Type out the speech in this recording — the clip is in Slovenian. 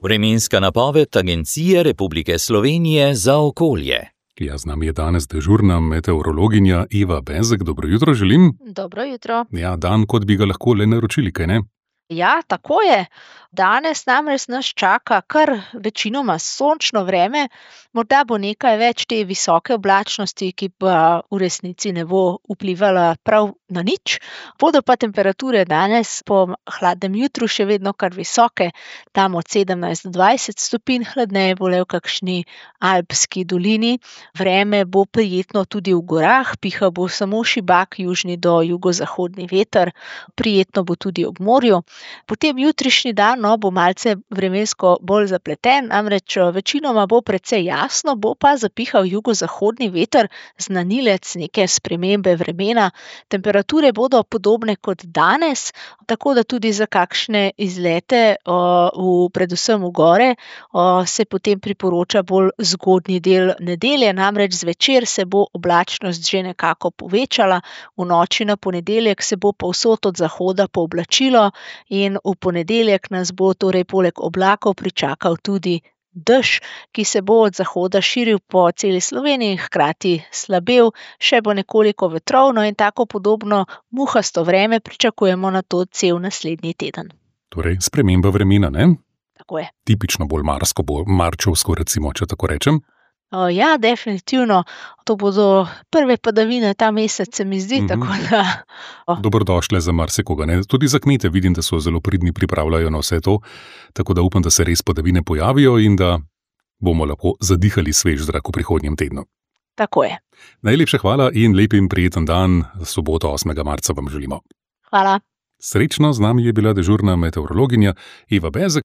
Vremenska napoved Agencije Republike Slovenije za okolje. Ja, z nami je danes dežurna meteorologinja Eva Bezek. Dobro jutro želim. Dobro jutro. Ja, dan, kot bi ga lahko le naročili, kaj ne? Ja, tako je. Danes namreč nas čaka kar večinoma sončno vreme, morda bo nekaj več te visoke oblačnosti, ki pa v resnici ne bo vplivala prav na nič. Bodo pa temperature danes po hladnem jutru še vedno kar visoke, tam od 17 do 20 stopinj, hladneje bo le v kakšni alpski dolini. Vreme bo prijetno tudi v gorah, pihal bo samo šibak južni do jugozahodni veter, prijetno bo tudi ob morju. Potem jutrišnji dan bo malce vremensko bolj zapleten, namreč večinoma bo precej jasno, bo pa zapihal jugozahodni veter, znanilec neke spremembe vremena. Temperature bodo podobne kot danes, tako da tudi za kakšne izlete predvsem v gore se potem priporoča bolj zgodnji del nedelje, namreč zvečer se bo oblačnost že nekako povečala, v noči na ponedeljek se bo povsod od zahoda pooblačilo in v ponedeljek nas bo torej poleg oblakov pričakal tudi dež, ki se bo od zahoda širil po celi Sloveniji, hkrati slabel, še bo nekoliko vetrovno in tako podobno muhasto vreme pričakujemo na to cel naslednji teden. Torej, sprememba vremena, ne? Tako je. Tipično bolj marčevsko, recimo, če tako rečem. Ja, definitivno. To bodo prve padavine ta mesec, se mi zdi, tako da... Dobrodošle za marsikoga, ne? Tudi za kmete vidim, da so zelo pridni, pripravljajo na vse to, tako da upam, da se res padavine pojavijo in da bomo lahko zadihali svež zrak v prihodnjem tednu. Tako je. Najlepša hvala in lep in prijeten dan, soboto 8. marca vam želimo. Hvala. Srečno, z nami je bila dežurna meteorologinja Eva Bezek.